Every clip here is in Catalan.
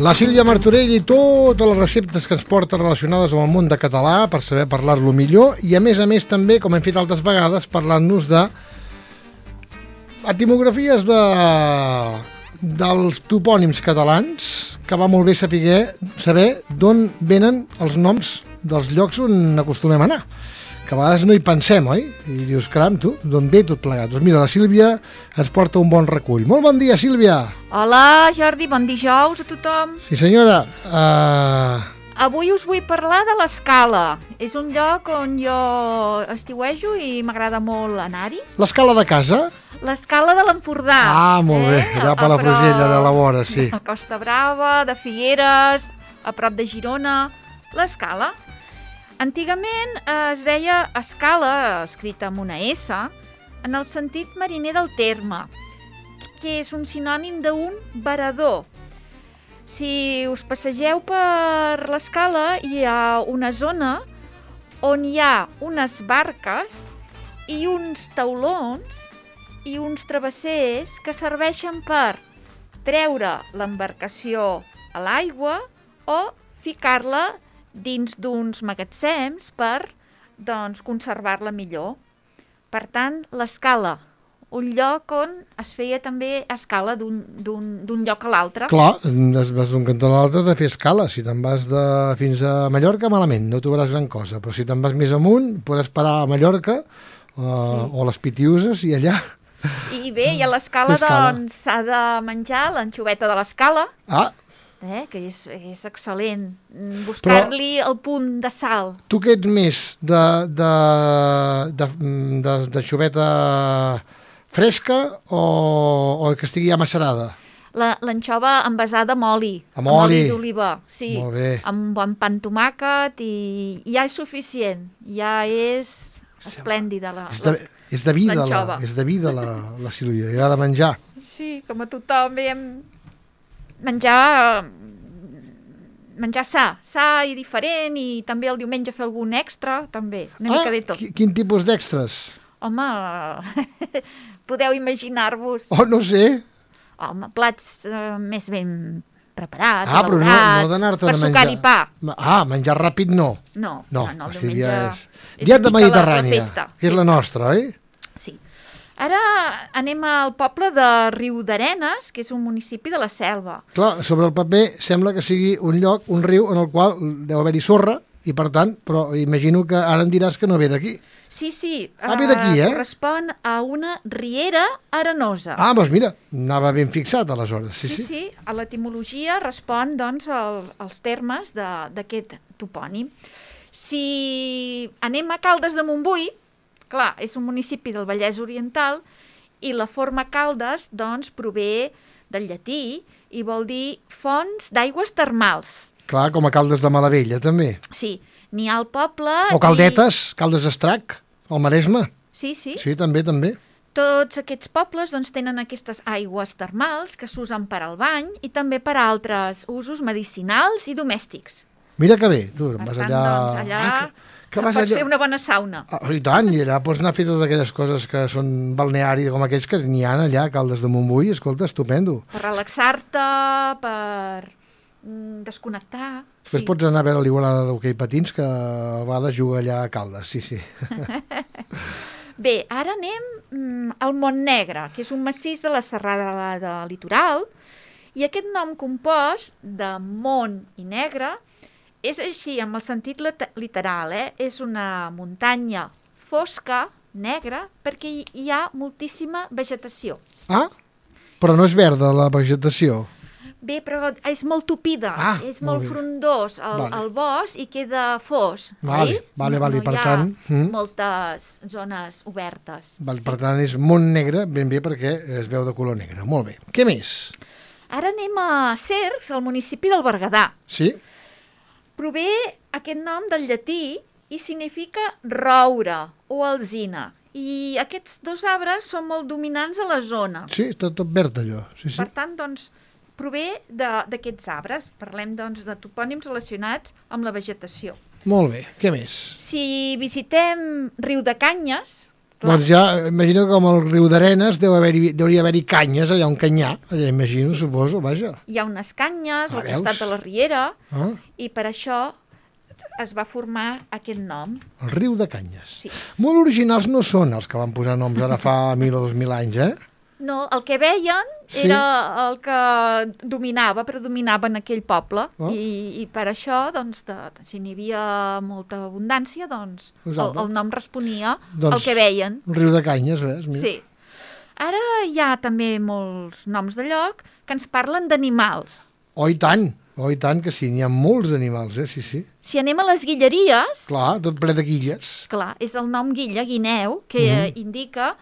La Sílvia Martorell i totes les receptes que ens porta relacionades amb el món de català per saber parlar-lo millor i a més també, com hem fet altres vegades, parlant-nos de etimologies dels topònims catalans, que va molt bé saber d'on venen els noms dels llocs on acostumem a anar, que a vegades no hi pensem, oi? I dius, caram, tu, d'on ve tot plegat? Doncs mira, la Sílvia ens porta un bon recull. Molt bon dia, Sílvia! Hola, Jordi, bon dijous a tothom. Sí, senyora. Avui us vull parlar de l'Escala. És un lloc on jo estiuejo i m'agrada molt anar-hi. L'Escala de casa? L'Escala de l'Empordà. Ah, molt bé, allà per la Frugella de la vora, sí. A Costa Brava, de Figueres, a prop de Girona, l'Escala. Antigament es deia escala, escrita amb una S, en el sentit mariner del terme, que és un sinònim d'un varador. Si us passegeu per l'escala, hi ha una zona on hi ha unes barques i uns taulons i uns travessers que serveixen per treure l'embarcació a l'aigua o ficar-la dins d'uns magatzems per, doncs, conservar-la millor. Per tant, l'Escala, un lloc on es feia també escala d'un lloc a l'altre. Clar, vas d'un cantó a l'altre de fer escala. Si te'n vas fins a Mallorca, malament, no trobaràs gran cosa. Però si te'n vas més amunt, podràs parar a Mallorca o les Pitiuses i allà... I bé, i a l'escala, doncs, s'ha de menjar l'anxoveta de l'escala. Ah, que és excel·lent, buscar-li el punt de sal. Tu què ets més de xoveta fresca o que estigui ja macerada? L'anxova envasada amb oli. Amb oli d'oliva, sí. Molt bé. Amb un bon pa amb tomàquet i ja és suficient. Ja és esplèndida l'anxova. És de vida la Sílvia, li agrada menjar. Sí, com a tothom veiem menjar sa i diferent, i també el diumenge fer algun extra, també, una mica de tot. Quin tipus d'extras? Home, podeu imaginar-vos. Oh, no sé. Home, plats més ben preparats, però no d'anar-te per sucar-hi pa. Menjar ràpid no. No, el Sílvia diumenge és dieta mediterrània, la festa, que és la nostra, oi? Sí. Ara anem al poble de Riudarenes, que és un municipi de la Selva. Clar, sobre el paper sembla que sigui un lloc, un riu, en el qual deu haver-hi sorra, i per tant, però imagino que ara em diràs que no ve d'aquí. Sí. Ve d'aquí, correspon a una riera arenosa. Doncs mira, anava ben fixat aleshores. Sí, a l'etimologia respon, doncs, als termes d'aquest topònim. Si anem a Caldes de Montbui, clar, és un municipi del Vallès Oriental i la forma Caldes, doncs, prové del llatí i vol dir fonts d'aigües termals. Clar, com a Caldes de Malavella, també. Sí, n'hi ha al poble... O Caldetes, Caldes d'Estrac, al Maresme. Sí. Sí, també. Tots aquests pobles, doncs, tenen aquestes aigües termals que s'usen per al bany i també per a altres usos medicinals i domèstics. Mira que bé, tu vas allà... Doncs, allà pots fer una bona sauna. I tant, i allà pots anar a fer totes aquelles coses que són balneari com aquells que n'hi ha allà a Caldes de Montbui. Escolta, estupendo. Per relaxar-te, per desconnectar. Després pots anar a veure l'Igualada d'hoquei patins, que a vegades juga allà a Caldes, sí. Bé, ara anem al Montnegre, que és un massís de la serralada litoral, i aquest nom compost de Mont i Negre és així, amb el sentit literal, és una muntanya fosca, negra, perquè hi ha moltíssima vegetació. Però no és verda la vegetació. Bé, però és molt tupida, és molt frondós el bosc i queda fos. Vale, per tant... No hi ha moltes zones obertes. Per tant, és Mont Negre, ben bé, perquè es veu de color negre. Molt bé. Què més? Ara anem a Cercs, al municipi del Berguedà. Sí? Prové aquest nom del llatí i significa roure o alzina. I aquests dos arbres són molt dominants a la zona. Sí, està tot verd allò. Sí. Per tant, doncs, prové d'aquests arbres. Parlem, doncs, de topònims relacionats amb la vegetació. Molt bé, què més? Si visitem Riudecanyes, Clar. Doncs ja, imagino que com el riu d'Arenes deuria haver-hi canyes allà on canyar, allà imagino, suposo, vaja. Hi ha unes canyes al veus? costat de la riera Ah, i per això es va formar aquest nom. el riu de Canyes. Sí. Molt originals no són els que van posar noms ara fa 1.000 o 2.000 anys, eh? No, el que veien Sí. era el que predominava en aquell poble i per això, doncs, si n'hi havia molta abundància, doncs el nom responia al que veien. El riu de Canyes, ves? Mira. Sí. Ara hi ha també molts noms de lloc que ens parlen d'animals. Oh, i tant que sí, n'hi ha molts animals, sí, sí. Si anem a les guilleries, Clar, tot ple de guilles. clar, és el nom guilla, guineu, que indica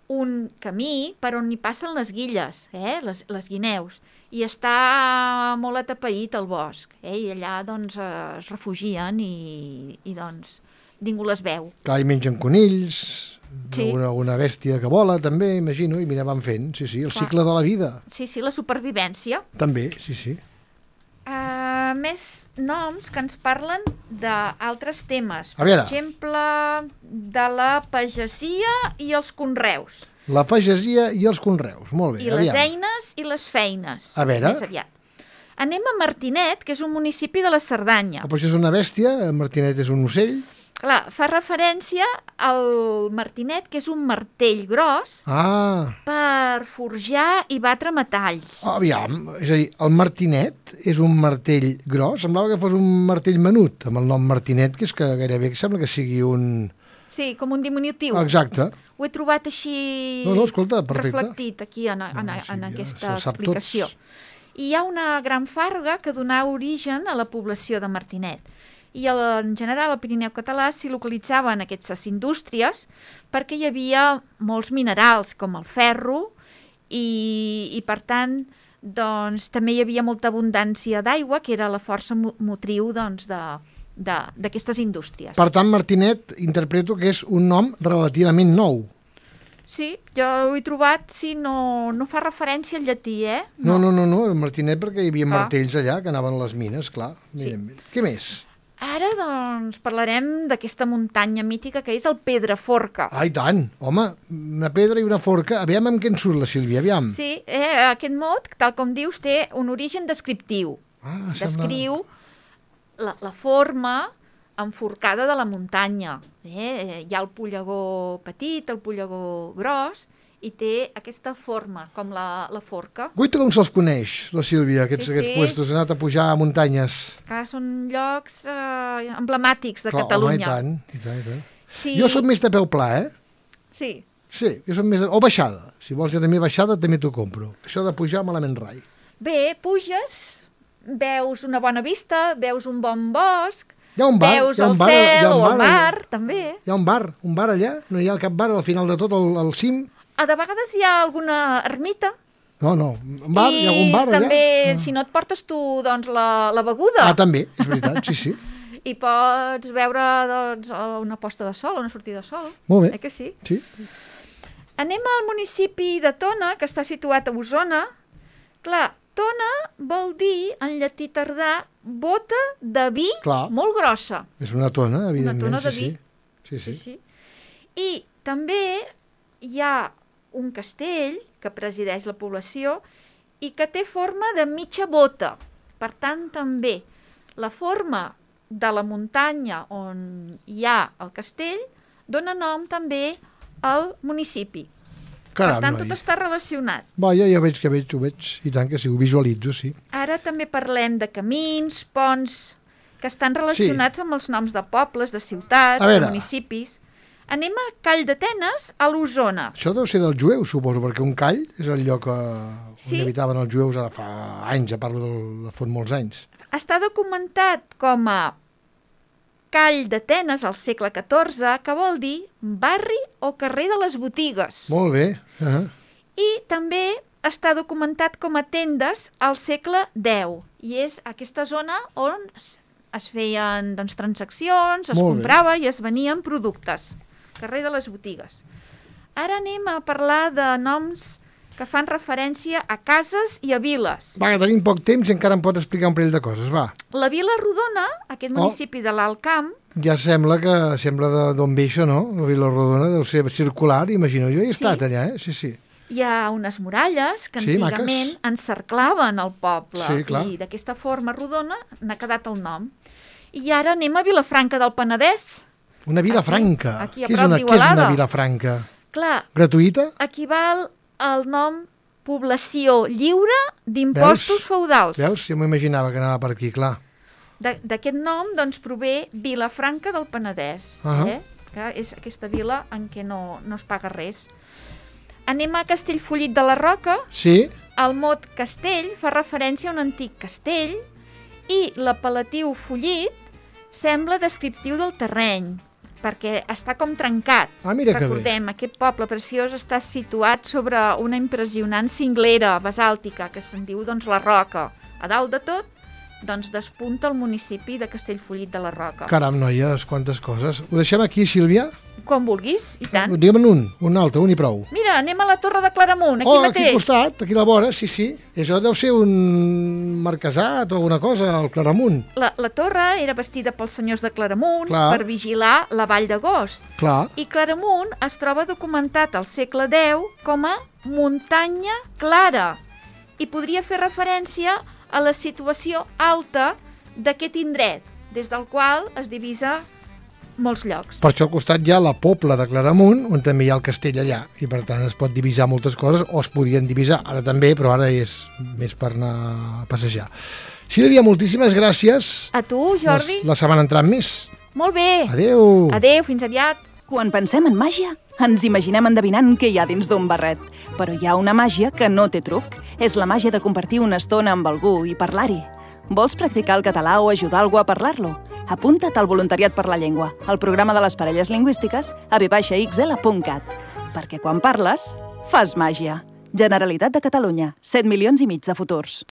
un camí per on hi passen les guilles, les guineus, i està molt atapeït el bosc, i allà doncs es refugien i doncs ningú les veu. Clar, hi mengen conills, Sí. alguna bèstia que vola, també, imagino, i mira, van fent, sí, el cicle de la vida. Sí, la supervivència. També, sí. Més noms que ens parlen d'altres temes. A veure. Per exemple, de la pagesia i els conreus. La pagesia i els conreus, molt bé. I les eines i les feines. A veure. Més aviat. Anem a Martinet, que és un municipi de la Cerdanya. Però això és una bèstia, Martinet és un ocell. Clar, fa referència al martinet, que és un martell gros per forjar i batre metalls. Aviam, és a dir, el martinet és un martell gros? Semblava que fos un martell menut, amb el nom martinet, que és que gairebé sembla que sigui un... Sí, com un diminutiu. Exacte. Ho he trobat així escolta, perfecte. Reflectit aquí en aquesta explicació. I hi ha una gran farga que donà origen a la població de Martinet. I en general al Pirineu català s'hi localitzaven aquestes indústries perquè hi havia molts minerals com el ferro i per tant doncs, també hi havia molta abundància d'aigua que era la força motriu doncs, d'aquestes indústries. Per tant, Martinet interpreto que és un nom relativament nou. Sí, jo ho he trobat, no fa referència al llatí, No, el Martinet perquè hi havia martells allà que anaven a les mines, clar. Sí. Què més? Ara, doncs, parlarem d'aquesta muntanya mítica que és el Pedraforca. Ah, i tant! Home, una pedra i una forca. Aviam amb què en surt la Sílvia, aviam. Sí, aquest mot, tal com dius, té un origen descriptiu. Descriu la forma enforcada de la muntanya. Hi ha el pollegó petit, el pollegó gros, i té aquesta forma, com la forca. Guaita com se'ls coneix, la Sílvia, aquests puestos, ha anat a pujar a muntanyes. Que són llocs emblemàtics de Catalunya. Home, i tant. Sí. Jo soc més de peu pla, Sí. Sí, jo soc més... O baixada. Si vols ja també baixada, també t'ho compro. Això de pujar malament rai. Bé, puges, veus una bona vista, veus un bon bosc, Hi ha un bar, veus el cel o el mar, també. Hi ha un bar allà? No hi ha cap bar al final de tot, al cim? De vegades hi ha alguna ermita. No, un bar, hi ha algun bar allà? I també, si no et portes tu, doncs, la beguda. També, és veritat, sí. I pots veure, doncs, una posta de sol, una sortida de sol. Molt bé. Que sí? Sí. Anem al municipi de Tona, que està situat a Osona. Clar, Tona vol dir, en llatí tardà, bota de vi molt grossa. És una tona, evidentment. Una tona de vi. Sí. I també hi ha un castell que presideix la població i que té forma de mitja bota. Per tant, també la forma de la muntanya on hi ha el castell dona nom també al municipi. Caram, per tant, tot està relacionat. Vaja, ja veig, ho veig. I tant que sí, ho visualitzo, sí. Ara també parlem de camins, ponts, que estan relacionats amb els noms de pobles, de ciutats, de municipis. Anem a Call d'Atenes, a l'Osona. Això deu ser dels jueus, suposo, perquè un call és el lloc on habitaven els jueus ara fa anys, a parlo de fa molts anys. Està documentat com a Call d'Atenes al segle XIV, que vol dir barri o carrer de les botigues. Molt bé. I també està documentat com a tendes al segle X. I és aquesta zona on es feien transaccions, es comprava i es venien productes. Carrer de les botigues. Ara anem a parlar de noms que fan referència a cases i a viles. Va, que tenim poc temps i encara em pots explicar un parell de coses, va. La Vila Rodona, aquest municipi de l'Alt Camp, Ja sembla d'on ve això, no? La Vila Rodona deu ser circular, imagino. Jo he estat allà, Sí. Hi ha unes muralles que Sí, antigament maques. encerclaven el poble. Sí, clar. I d'aquesta forma rodona n'ha quedat el nom. I ara anem a Vilafranca del Penedès. Una Vilafranca. Aquí a Què és prop una d'Igualada. Vilafranca? Clar, Gratuïta? equival al nom població lliure d'impostos feudals. Veus? Jo m'imaginava que anava per aquí, clar. D'aquest nom, doncs, prové Vilafranca del Penedès, que és aquesta vila en què no es paga res. Anem a Castellfollit de la Roca. Sí? El mot castell fa referència a un antic castell i l'apel·latiu follit sembla descriptiu del terreny, perquè està com trencat. Mira que bé. Recordem, aquest poble preciós està situat sobre una impressionant cinglera basàltica que se'n diu doncs, la Roca. A dalt de tot, doncs despunta el municipi de Castellfollit de la Roca. Caram, noies, quantes coses. Ho deixem aquí, Sílvia? Com vulguis, i tant. Digue'm un altre, un i prou. Mira, anem a la Torre de Claramunt, aquí mateix. Aquí al costat, aquí a la vora, sí. Això deu ser un marquesat o alguna cosa, el Claramunt. La torre era bastida pels senyors de Claramunt per vigilar la Vall d'Agost. Clar. I Claramunt es troba documentat al segle X com a muntanya clara i podria fer referència a la situació alta d'aquest indret, des del qual es divisa molts llocs. Per això al costat hi ha la Pobla de Claramunt, on també hi ha el castell allà, i per tant es pot divisar moltes coses, o es podien divisar, ara també, però ara és més per anar a passejar. Sílvia, moltíssimes gràcies. A tu, Jordi. La setmana entrant més. Molt bé. Adéu. Adéu, fins aviat. Quan pensem en màgia, ens imaginem endevinant què hi ha dins d'un barret. Però hi ha una màgia que no té truc. És la màgia de compartir una estona amb algú i parlar-hi. Vols practicar el català o ajudar algú a parlar-lo? Apunta't al Voluntariat per la Llengua, al programa de les parelles lingüístiques a v-xl.cat. Perquè quan parles, fas màgia. Generalitat de Catalunya, 7,5 milions de futurs.